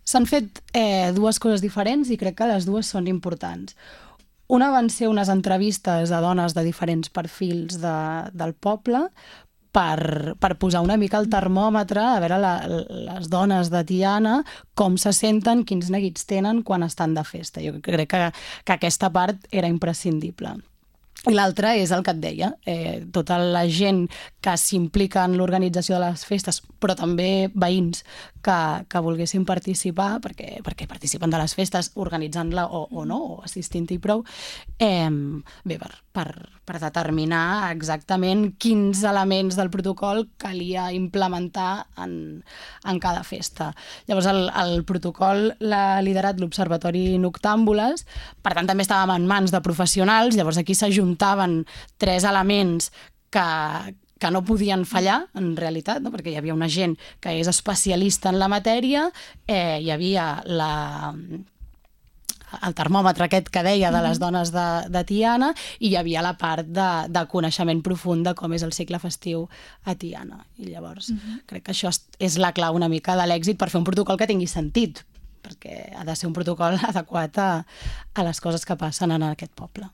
S'han fet dues coses diferents i crec que les dues són importants. Una van ser unes entrevistes a dones de diferents perfils del poble per posar una mica el termòmetre, a veure les dones de Tiana com se senten, quins neguits tenen quan estan de festa. Jo crec que aquesta part era imprescindible. I l'altra és el que et deia, tota la gent que s'implica en l'organització de les festes, però també veïns que volguessin participar, perquè participen de les festes organitzant-la o no, o assistint-hi prou, bé, per determinar exactament quins elements del protocol calia implementar en cada festa. Llavors, el protocol l'ha liderat l'Observatori Noctàmbules, per tant, també estàvem en mans de professionals, llavors aquí s'ajuntaven tres elements que no podien fallar, en realitat, no? Perquè hi havia una gent que és especialista en la matèria, hi havia el termòmetre aquest que deia de les dones de Tiana i hi havia la part de coneixement profund de com és el cicle festiu a Tiana. I llavors crec que això és la clau una mica de l'èxit per fer un protocol que tingui sentit, perquè ha de ser un protocol adequat a les coses que passen en aquest poble.